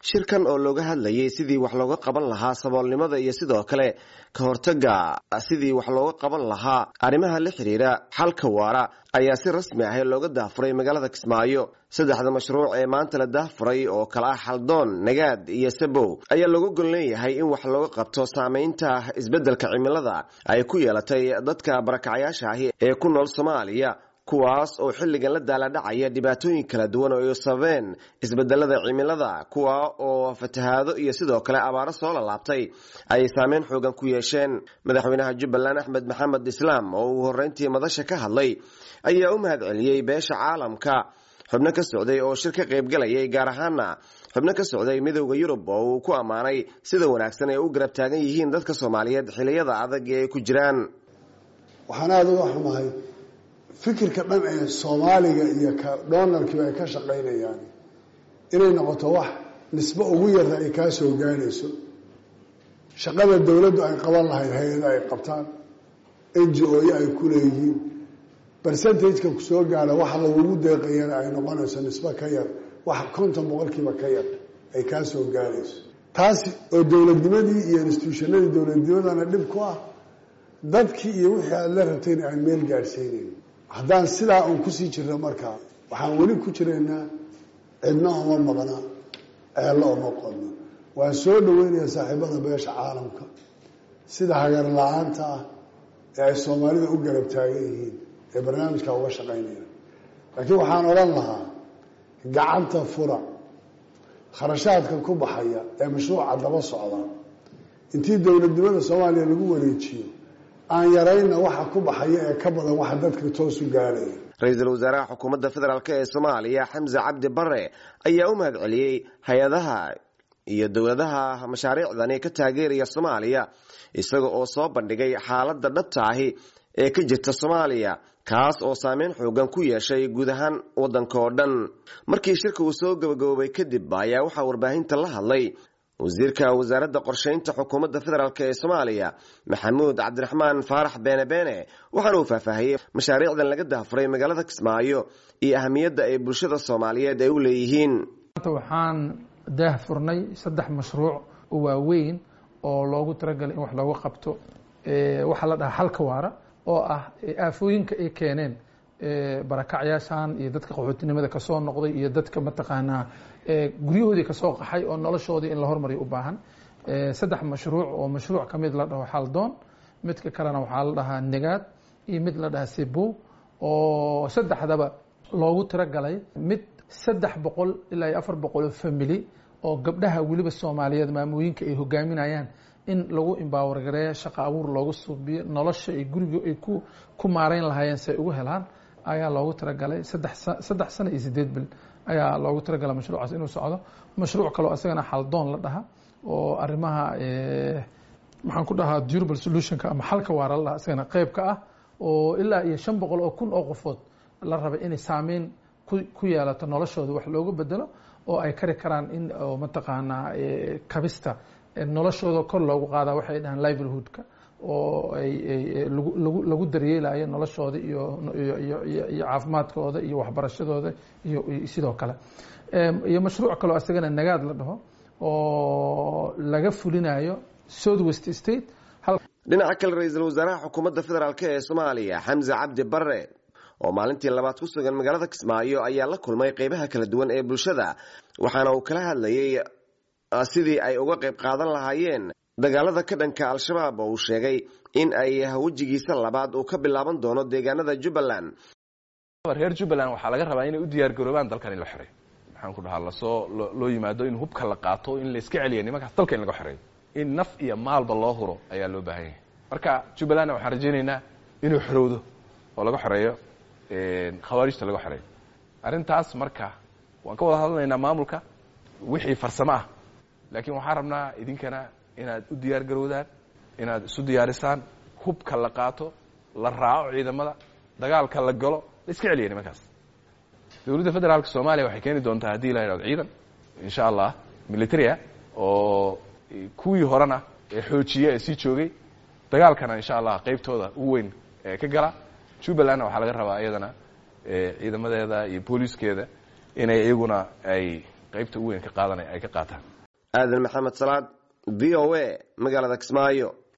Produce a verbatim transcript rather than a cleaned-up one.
Shirkan oo looga hadlayay sidii wax looga qaban lahaa saboolnimada iyo sidoo kale ka hortagga sidii wax looga qaban lahaa arrimaha la xiriira xalka waara ayaa si rasmi ah looga daahfuray magaalada Kismaayo. Saddexda mashruuc ee maanta la daahfuray oo kala ah Xaldoon, Nagaad iyo Sabow ayaa looga gol leeyahay in wax looga qabto saameynta isbeddelka cimilada ay ku yeelatay dadka barakacayaasha ahi ee ku nool Soomaaliya, kuwaas oo xilligan la daaladhacaya dhibaatooyin kala duwan oo ay sababeen isbedelada cimilada, kuwa oo fatahaado iyo sidoo kale abaaro soo lalaabtay ay saameyn xoogan ku yeesheen. Madaxweynaha Jubbaland Axmed Maxamed Islaam oo uu horreyntii madasha ka hadlay ayaa u mahad celiyey beesha caalamka xubno ka socday oo shir ka qaybgalayay, gaar ahaana xubno ka socday Midowda Yurub oo uu ku ammaanay sida wanaagsan ay u garab taagan yihiin dadka Soomaaliyeed xilliyada adag ee ay ku jiraan. Waxaan aada uga xumahay fikirka dhan ee Soomaaliga iyo ka donorkiiba ay ka shaqaynayaan inay noqoto wax nisbo ugu yarta ay kaa soo gaarayso. Shaqada dowladdu ay qaban lahayd hay-ada ay qabtaan, N G O-yo ay ku leeyihiin, percentage-ka kusoo gaara waxa lagugu deeqayana ay noqonayso nisbo ka yar wax konton boqolkiiba ka yar ay kaa soo gaarayso, taasi oo dowladnimadii iyo institutionadii dowladnimadana dhib ku ah, dadkii iyo wixii aada la rabtayna aan meel gaadhsiinayn. Haddaan sidaa uun kusii jirno, markaa waxaan weli ku jiraynaa cidna uma maqna, ceello uma qodno. Waan soo dhaweynayaa saaxiibada beesha caalamka sida hagar la-aanta ah ee ay Soomaalida u garab taagan yihiin ee barnaamijka uga shaqaynayaan, laakiin waxaan odhan lahaa gacanta fura kharashaadka ku baxaya ee mashruuca daba socda. Intii dowladnimada Soomaaliya lagu wareejiyo, aan yarayna waxa ku baxaya ee ka badan waxa dadka toosu gaaraya. Ra-iisul wasaaraha xukuumadda federaalk ee Soomaaliya Xamse Cabdi Bare ayaa u mahad celiyey hay-adaha iyo dowladaha mashaariicdani ka taageeraya Soomaaliya, isaga oo soo bandhigay xaaladda dhabta ahi ee ka jirta Soomaaliya, kaas oo saameyn xoogan ku yeeshay guud ahaan waddanka oo dhan. Markii shirka uu soo gabagaboobay kadib ayaa waxaa warbaahinta la hadlay wasiirka wasaaradda qorsheynta xukuumadda federaalk ee Soomaaliya Maxamuud Cabdiraxmaan Faarax Beene Beene, waxaana uu faahfaahiyey mashaariicdan laga daahfuray magaalada Kismaayo iyo ahamiyadda ay bulshada Soomaaliyeed ay u leeyihiin. Waxaan daahfurnay saddex mashruuc oo waaweyn oo loogu talagalay in wax looga qabto waxaa la dhahaa xalka waara, oo ah aafooyinka ay keeneen barakacyaashan iyo dadka qaxootinimada kasoo noqday iyo dadka mataqaanaa guryahoodii kasoo qaxay oo noloshoodii in la hormariyo u baahan. Saddex mashruuc oo mashruuc ka mid la dhaho Xaldoon, midka kalena waxaa la dhahaa Negaad iyo mid la dhahaa Sebo, oo saddexdaba loogu talagalay mid saddex boqol ilaa iyo afar boqol oo family oo gabdhaha weliba Soomaaliyeed maamooyinka ay hogaaminayaan in lagu empower gareeyo, shaqo abuur loogu suubiyo, nolosha ay guriga ay ku ku maareyn lahaayeen si ay ugu helaan ayaa loogu talagalay. saddex saddex sano iyo sideed bil ayaa loogu talagalay mashruucaas inuu socdo. Mashruuc kaloo isagana Xaldoon la dhaha oo arrimaha, maxaan ku dhahaa, durable solutionka ama xalka waara la dhaha, isagana qayb ka ah oo ilaa iyo shan boqol oo kun oo qofood la rabay inay saameyn ku ku yeelato noloshooda, wax looga bedelo oo ay kari karaan in mataqaanaa kabista noloshooda kor loogu qaada, waxay dhahaan livelihoodka, oo ay lagu lagu lagu daryeelayo noloshooda iyo iyo iyo iyo caafimaadkooda iyo waxbarashadooda iyo sidoo kale. Iyo mashruuc kaloo isagana Nagaad la dhaho oo laga fulinayo South West State. Dhinaca kale, ra-iisul wasaaraha xukuumadda federaalk ee Soomaaliya Xamse Cabdi Bare oo maalintii labaad ku sugan magaalada Kismaayo ayaa la kulmay qeybaha kala duwan ee bulshada, waxaana uu kala hadlayey sidii ay uga qayb qaadan lahaayeen dagaalada ka dhanka Al-Shabaab oo uu sheegay in ay wejigiisa labaad uu ka bilaaban doono deegaanada Jubbaland. Reer Jubbaland waxaa laga rabaa inay u diyaar garoobaan dalkan in la xoreeyo, maxaan ku dhahaa, lasoo loo yimaado, in hubka la qaato, in la iska celiya nimankaas, dalka in laga xoreeyo, in naf iyo maalba loo huro ayaa loo baahan yahay. Marka Jubbalandna waxaan rajaynaynaa inuu xorowdo oo laga xoreeyo khawaarijta, laga xoreeyo arrintaas. Marka waan ka wada hadlaynaa maamulka wixii farsamo ah, laakiin waxaan rabnaa idinkana inaad u diyaar garowdaan, inaad isu diyaarisaan, hubka la qaato, la raaco ciidamada, dagaalka la galo, la iska celiya nimankaas. Dowladda federaalka Soomaaliya waxay keeni doontaa, haddii la yidhahdo, ciidan insha Allah military ah oo kuwii horena ee xoojiya ee sii joogay, dagaalkana insha Allah qaybtooda ugu weyn ee ka gala. Jubbalandna waxaa laga rabaa iyadana ciidamadeeda iyo booliiskeeda inay iyaguna ay Qaybta ugu weyn ka qaadanaya ay ka qaataan. Aadan Maxamed Salaad, V O A, magaalada Kismaayo.